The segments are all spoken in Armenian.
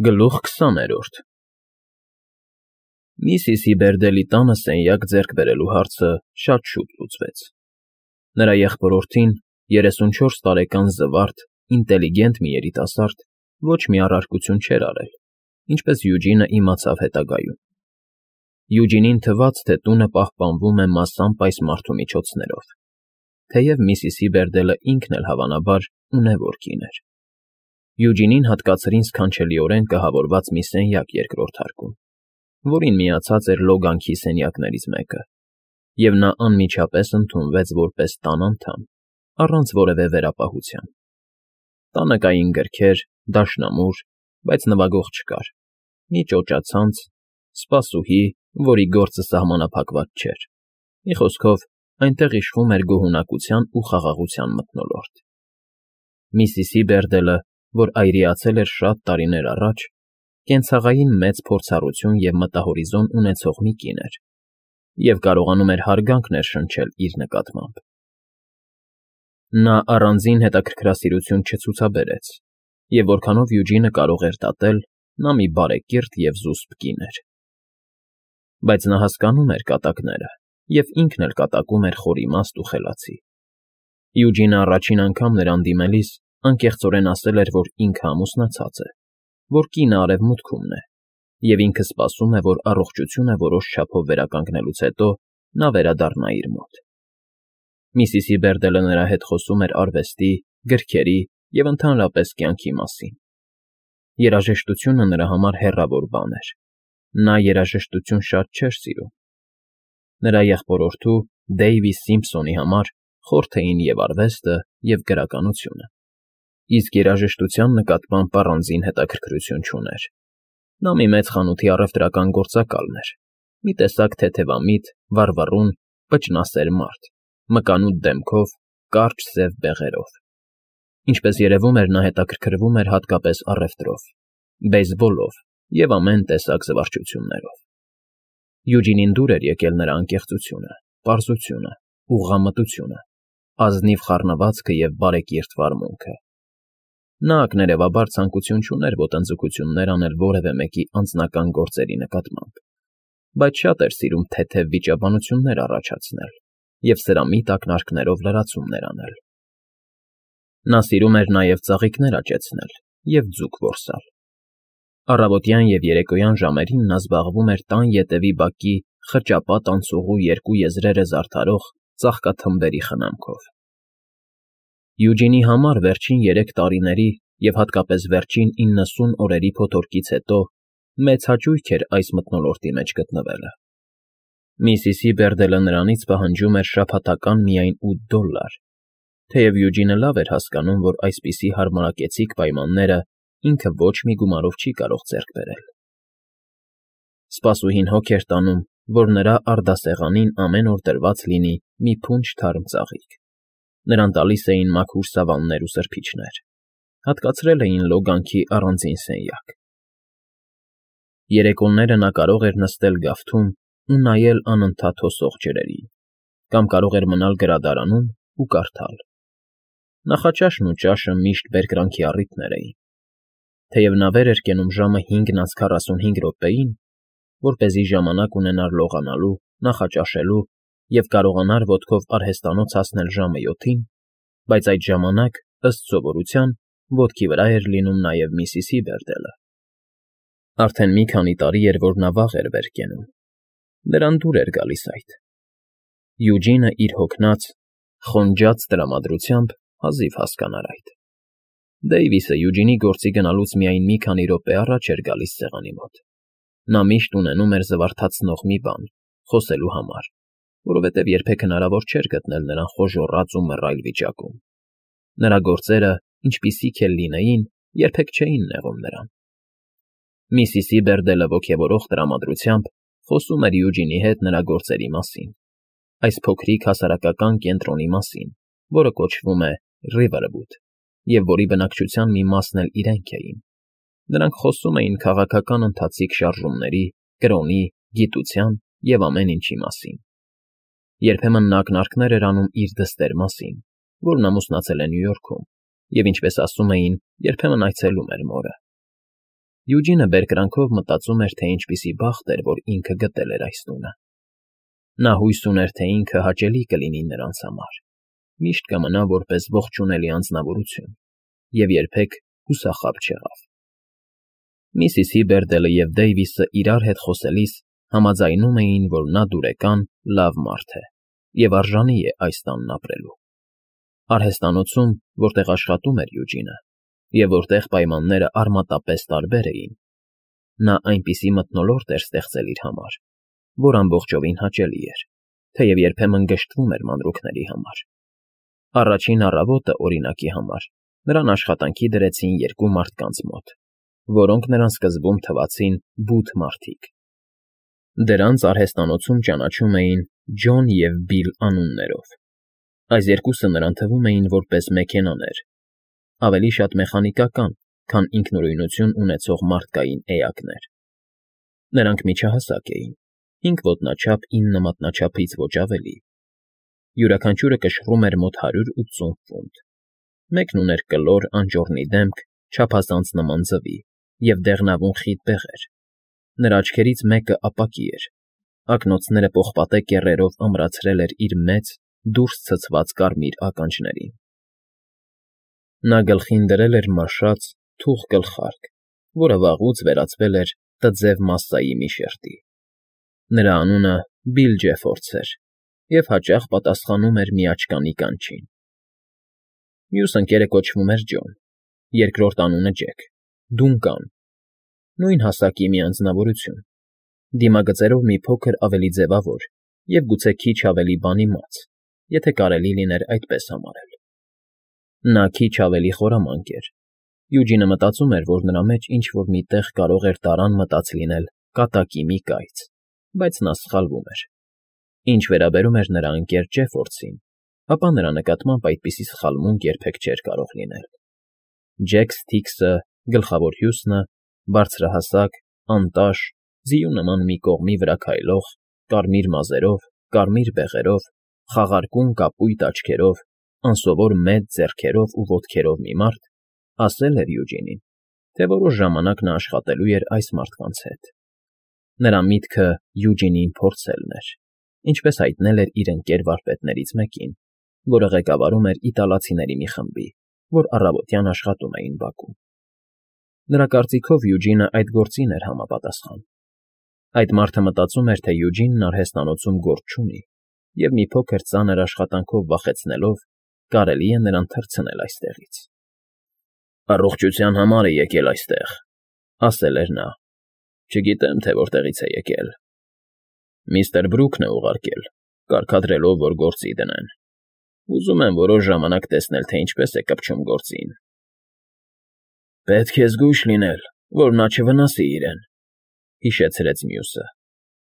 Գլուխ 20-րդ Միսիսի Բերդելի տանը սենյակ ձեռք բերելու հարցը շատ շուտ լուծվեց. նրա եղբորորդին, 34 տարեկան զվարթ, ինտելիգենտ մի երիտասարդ, ոչ մի առարկություն չէր արել, ինչպես Յուջինը իմացավ հետագայում։ Յուջինին թվաց, թե տունը պահպանվում է մասամբ այս մարդու միջոցներով, թեև Միսիսի Բերդելը ինքն էլ հավանաբար ունևոր կին էր։ Յուջինին հատկացրին սքանչելիորեն կահավորված մի սենյակ երկրորդ հարկում, որին միացած էր Լոգանքի սենյակներից մեկը, և նա անմիջապես ընդունվեց որպես տան անդամ, առանց որևէ վերապահության։ Տանը կային գրքեր, դաշնամուր, բայց նվագող չկար, մի ճոճացանց, սպասուհի, որի գործը սահմանափակված չէր, մի խոսքով, այնտեղ իշխում էր գոհունակության ու խաղաղության մթնոլորտ։ Միսիսի Բերդելը, որ այրիացել էր շատ տարիներ առաջ, կենցաղային մեծ փորձառություն և մտահորիզոն ունեցող մի կին էր և կարողանում էր հարգանք ներշնչել իր նկատմամբ։ Նա առանձին հետաքրքրասիրություն չցուցաբերեց, և որքանով Յուջինը կարող էր դատել, նա մի բարեկիրթ և զուսպ կին էր։ Բայց նա հասկանում էր կատակները և ինքն էլ կատակում էր խորիմաստ ու խելացի։ Յուջինը առաջին անգամ նրան դիմելիս անկեղծորեն ասել էր, որ ինքը ամուսնացած է, որ կինը արևմուտքումն է, և ինքը սպասում է, որ առողջությունը որոշ չափով վերականգնելուց հետո նա վերադառնա իր մոտ։ Միսիսի Բերդելը նրա հետ խոսում էր արվեստի, գրքերի և ընդհանրապես կյանքի մասին։ Երաժշտությունը նրա համար հեռավոր բան էր։ Նա երաժշտություն շատ չէր սիրում։ Նրա եղբորորդու Դեյվի Սիմփսոնի համար խորթ էին և արվեստը, և գրականությունը, իսկ երաժշտության նկատմամբ առանձին հետաքրքրություն չուներ։ Նա մի մեծ խանութի առևտրական գործակալն էր, մի տեսակ թեթևամիտ, վառվռուն, պճնասեր մարդ, մկանուտ դեմքով, կարճ սև բեղերով։ Ինչպես երևում էր, նա հետաքրքրվում էր հատկապես առևտրով, բեյսբոլով և ամեն տեսակ զվարճություններով։ Յուջինին դուր էր եկել նրա անկեղծությունը, պարզությունը, ուղղամտությունը, ազնիվ խառնվածքը և բարեկիրթ վարմունքը։ Նա ակներևաբար ցանկություն չուներ ոտնձգություններ անել որևէ մեկի անձնական գործերի նկատմամբ, բայց շատ էր սիրում թեթև վիճաբանություններ առաջացնել և սրամիտ ակնարկներով լրացումներ անել։ Նա սիրում էր նաև ծաղիկներ աճեցնել և ձուկ որսալ։ Առավոտյան և երեկոյան ժամերին նա զբաղվում էր տան ետևի բակի խճապատ անցուղու երկու եզրերը զարդարող ծաղկաթմբերի խնամքով։ Յուջինի համար վերջին 3 տարիների և հատկապես վերջին 90 օրերի փոթորկից հետո մեծ հաճույք էր այս մթնոլորտի մեջ գտնվելը։ Միսիսի Բերդելը նրանից պահանջում էր շաբաթական միայն $8, թեև Յուջինը լավ էր հասկանում, որ այսպիսի հարմարակեցիկ պայմանները ինքը ոչ մի գումարով չի կարող ձեռք բերել։ Սպասուհին հոգ էր տանում, որ նրա առդասեղանին ամեն օր դրված լինի մի փունջ թարմ ծաղիկ։ Նրան տալիս էին մաքուր սավաններ ու սրբիչներ, հատկացրել էին Լոգանքի առանձին սենյակ։ Երեկոները նա կարող էր նստել գավթում ու նայել անընդհատ հոսող ջրերին, կամ կարող էր մնալ գրադարանում ու կարդալ։ Նախաճաշն ու ճաշը միշտ բերկրանքի առիթներ էին։ Թեև նա վեր էր կենում ժամը 5:45-ին, որպեսզի ժամանակ ունենար լողանալու, նախաճաշելու և կարողանար ոտքով արհեստանոց հասնել ժամը 7-ին, բայց այդ ժամանակ, ըստ սովորության, ոտքի վրա էր լինում նաև Միսիսի Բերդելը։ Արդեն մի քանի տարի էր, որ նա վաղ էր վեր կենում։ Նրան դուր էր գալիս այդ։ Յուջինը իր հոգնած, խոնջած տրամադրությամբ հազիվ հասկանար այդ։ Դեյվիսը Յուջինի գործի գնալուց միայն մի քանի րոպե առաջ էր գալիս սեղանի մոտ։ Նա միշտ ունենում էր զվարթացնող մի բան՝ խոսելու համար, որովհետև երբեք հնարավոր չէր գտնել նրան խոժոռած ու մռայլ վիճակում։ Նրա գործերը, ինչպիսիք էլ լինեին, երբեք չէին նեղում նրան։ Միսիսի Բերդելը ոգևորող տրամադրությամբ խոսում էր Յուջինի հետ նրա գործերի մասին, այս փոքրիկ հասարակական կենտրոնի մասին, որը կոչվում է Riverwood, և որի բնակչության մի մասն էլ իրենք էին։ Նրանք խոսում էին քաղաքական ընթացիկ շարժումների, կրոնի, գիտության և ամեն ինչի մասին։ Երբեմն նա ակնարկներ էր անում իր դստեր մասին, որն ամուսնացել է Նյու Յորքում, և, ինչպես ասում էին, երբեմն այցելում էր մորը։ Յուջինը բերկրանքով մտածում էր, թե ինչպիսի բախտ էր, որ ինքը գտել էր այս տունը։ Նա հույս ուներ, թե ինքը հաճելի կլինի նրանց համար, միշտ կմնա որպես ողջունելի անձնավորություն և երբեք հուսախաբ չեղավ։ Միսիս Հիբերդելը և Դեյվիսը իրար հետ խոսելիս համաձայնում էին, որ նա դուրեկան, լավ մարդ է և արժանի է այս տանն ապրելու։ Արհեստանոցում, որտեղ աշխատում էր Յուջինը, և որտեղ պայմանները արմատապես տարբեր էին, նա այնպիսի մթնոլորտ էր ստեղծել իր համար, որ ամբողջովին հաճելի էր, թեև երբեմն գժտվում էր մանրուքների համար։ Առաջին առավոտը, օրինակի համար, նրան աշխատանքի դրեցին երկու մարդկանց մոտ, որոնք նրան սկզբում թվացին բութ մարդիկ։ Դրանց արհեստանոցում ճանաչում էին Ջոն և Բիլ անուններով։ Այս երկուսը նրան թվում էին որպես մեքենաներ, ավելի շատ մեխանիկական, քան ինքնուրույնություն ունեցող մարդկային էակներ։ Նրանք միջահասակ էին, 5 ոտնաչափ 9 մատնաչափից ոչ ավելի։ Յուրաքանչյուրը կշռում էր մոտ 180 ֆունտ։ Մեկն ուներ կլոր անճոռնի դեմք, չափազանց նման ձվի և դեղնավուն խիտ բեղեր։ Նրա աչքերից մեկը ապակի էր, ակնոցները պողպատե կեռերով ամրացրել էր իր մեծ, դուրս ցցված կարմիր ականջներին։ Նա գլխին դրել էր մաշած, թուխ գլխարկ, որը վաղուց վերածվել էր տձև մասսայի մի շերտի։ Նրա անունը Բիլ Ջեֆորդս էր և հաճախ պատասխանում էր միաճկանի կանչին։ Մյուս ընկերը կոչվում էր Ջոն, երկրորդ անունը Ջեք, Դունկան, նույն հասակի մի անձնավորություն, դիմագծերով մի փոքր ավելի ձևավոր և գուցե քիչ ավելի բանիմաց, եթե կարելի լիներ այդպես համարել։ Նա քիչ ավելի խորամանկ էր։ Յուջինը մտածում էր, որ նրա մեջ ինչ֊որ մի տեղ կարող էր տարան մտած լինել կատակի մի կայծ, բայց նա սխալվում էր։ Ինչ վերաբերում էր նրա ընկեր Ջեֆորդսին, ապա նրա նկատմամբ այդպիսի սխալմունք երբեք չէր կարող լինել։ Ջեք Սթիքսը, գլխավոր հյուսնը, բարձրահասակ, անտաշ, ձիու նման մի կողմի վրա քայլող, կարմիր մազերով, կարմիր բեղերով, խաղարկուն կապույտ աչքերով, անսովոր մեծ ձեռքերով ու ոտքերով մի մարդ, ասել էր Յուջինին, թե որոշ ժամանակ նա աշխատելու էր այս մարդկանց հետ։ Նրա միտքը Յուջինին փորձելն էր, ինչպես հայտնել էր իր ընկեր վարպետներից մեկին, որը ղեկավարում էր իտալացիների մի խմբի, որ առավոտյան աշխատում էին բակում։ Նրա կարծիքով Յուջինը այդ գործին էր համապատասխան։ Այդ մարդը մտածում էր, թե Յուջինն արհեստանոցում գործ չունի, և մի փոքր ծանր աշխատանքով վախեցնելով կարելի է նրան թռցնել այստեղից։ «Առողջության համար է եկել այստեղ», ասել էր նա։ «Չգիտեմ, թե որտեղից է եկել։ Միստր Բրուքն է ուղարկել, կարգադրելով, որ գործի դնեն։ Ուզում եմ որոշ ժամանակ տեսնել, թե ինչպես է կպչում գործին»։ «Պետք է զգույշ լինել, որ նա չվնասի իրեն», հիշեցրեց մյուսը։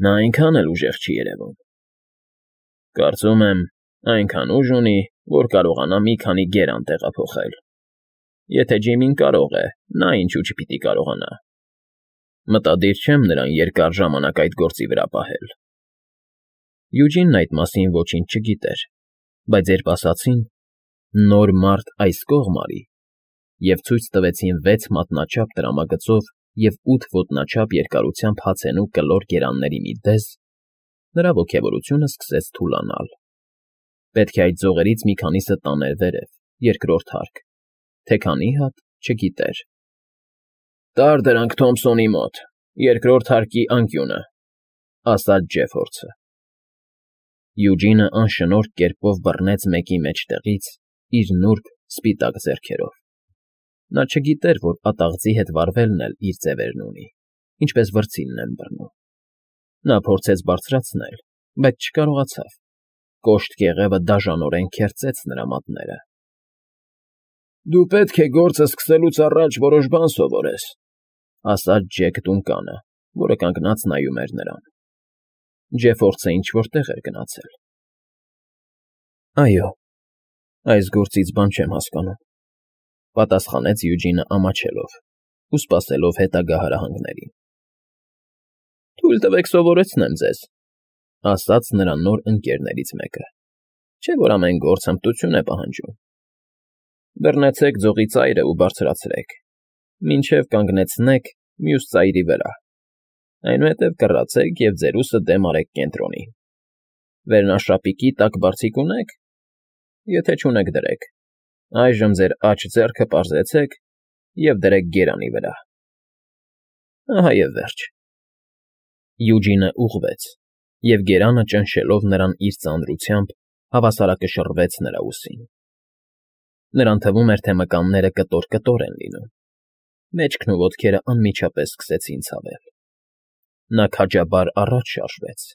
«Նա այնքան էլ ուժեղ չի երևում»։ «Կարծում եմ, այնքան ուժ ունի, որ կարողանա մի քանի գերան տեղափոխել։ Եթե Ջիմին կարող է, նա ինչու չպիտի կարողանա։ Մտադիր չեմ նրան երկար ժամանակ այդ գործի վրա պահել»։ Յուջինն այդ մասին ոչինչ չգիտեր, բայց երբ ասացին «նոր մարդ այս կողմ արի» և ցույց տվեցին 6 մատնաչափ տրամագծով և 8 ոտնաչափ երկարությամբ հացենու կլոր գերանների մի դեզ, նրա ոգևորությունը սկսեց թուլանալ։ Պետք է այդ ձողերից մի քանիսը տաներ վերև, երկրորդ հարկ, թե քանի հատ չգիտեր։ «Տար դրանք Թոմսոնի մոտ, երկրորդ հարկի անկյունը», ասաց Ջեֆորդսը։ Յուջինը անշնորհք կերպով բռնեց մեկի մեջտեղից իր նուրբ, սպիտակ ձեռքերով։ Նա չգիտեր, որ ատաղձի հետ վարվելն էլ իր ձևերն ունի, ինչպես վրձինն են բռնում։ Նա փորձեց բարձրացնել, բայց չկարողացավ։ Կոշտ կեղևը դաժանորեն քերծեց նրա մատները։ «Դու պետք է գործը սկսելուց առաջ որոշ բան սովորես», ասաց Ջեք Դունկանը, որը կանգնած նայում էր նրան։ Ջեֆորդսը ինչ֊որ տեղ էր գնացել։ «Այո, այս գործից բան չեմ հասկանում», պատասխանեց Յուջինը ամաչելով ու սպասելով հետագա հարահանգներին։ «Թույլ տվեք սովորեցնեմ ձեզ», ասաց նրա նոր ընկերներից մեկը, չէ՞ որ ամեն գործ հմտություն է պահանջում։ Բռնեցեք ձողի ծայրը ու բարձրացրեք, մինչև կանգնեցնեք մյուս ծայրի վրա, այնուհետև կռացեք և ձեր ուսը դեմ արեք կենտրոնին, վերնաշապիկի տակ բարձիկ ունե՞ք, եթե չունեք, դրեք, այժմ ձեր աջ ձեռքը պարզեցեք և դրեք գերանի վրա, ահա և վերջ։ Յուջինը ուղղվեց, և գերանը ճնշելով նրան իր ծանրությամբ հավասարակշռվեց նրա ուսին. նրան թվում էր, թե մկանները կտոր֊կտոր են լինում, մեջքն ու ոտքերը անմիջապես սկսեցին ցավել։ Նա քաջաբար առաջ շարժվեց,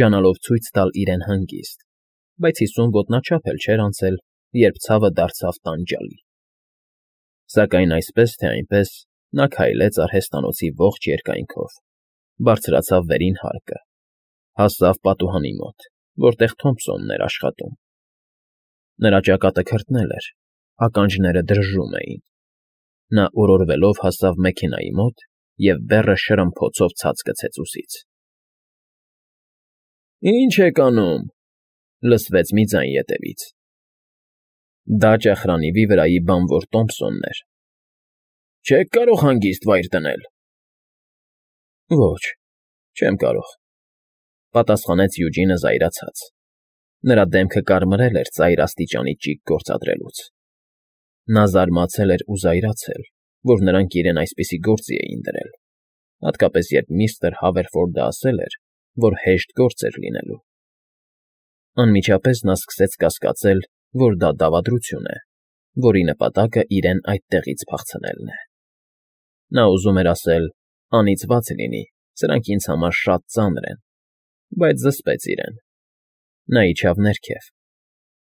ջանալով ցույց տալ իրեն հանգիստ, բայց 50 ոտնաչափ էլ չէր անցել, երբ ցավը դարձավ տանջալի։ Սակայն այսպես թե այնպես նա քայլեց արհեստանոցի ողջ երկայնքով, բարձրացավ վերին հարկը, հասավ պատուհանի մոտ, որտեղ Թոմփսոնն էր աշխատում։ Նրա ճակատը քրտնել էր, ականջները դրժում էին։ Նա օրորվելով հասավ մեքենայի մոտ և բեռը շրմփոցով ցած գցեց ուսից։ «Ի՞նչ եք անում,֊ լսվեց մի ձայն ետևից։ Դա ճախրանիվի վրայի բանվոր Տոմփսոնն էր։ Չե՞ք կարող հանգիստ վայր դնել։ Ոչ, չեմ կարող,֊ պատասխանեց Յուջինը զայրացած. նրա դեմքը կարմրել էր ծայր աստիճանի ճիգ գործադրելուց։ Նա զարմացել էր ու զայրացել, որ նրանք իրեն այսպիսի գործի էին դրել, հատկապես երբ միստր Հավերֆորդը ասել էր, որ հեշտ գործ էր լինելու։ Անմիջապես նա սկսեց կասկածել, որ դա դավադրություն է, որի նպատակը իրեն այդտեղից փախցնելն է։ Նա ուզում էր ասել. «Անիծված լինի, սրանք ինձ համար շատ ծանր են», բայց զսպեց իրեն։ Նա իջավ ներքև,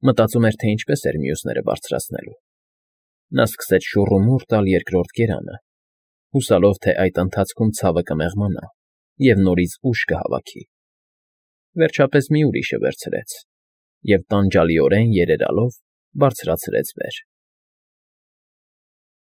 մտածում էր, թե ինչպես էր մյուսները բարձրացնելու։ Նա սկսեց շուռումուռ տալ երկրորդ գերանը, հուսալով, թե այդ ընթացքում ցավը կմեղմանա և նորից ուժ կհավաքի։ Վերջապես մի ուրիշը վերցրեց և տանջալիորեն երերալով բարձրացրեց վեր։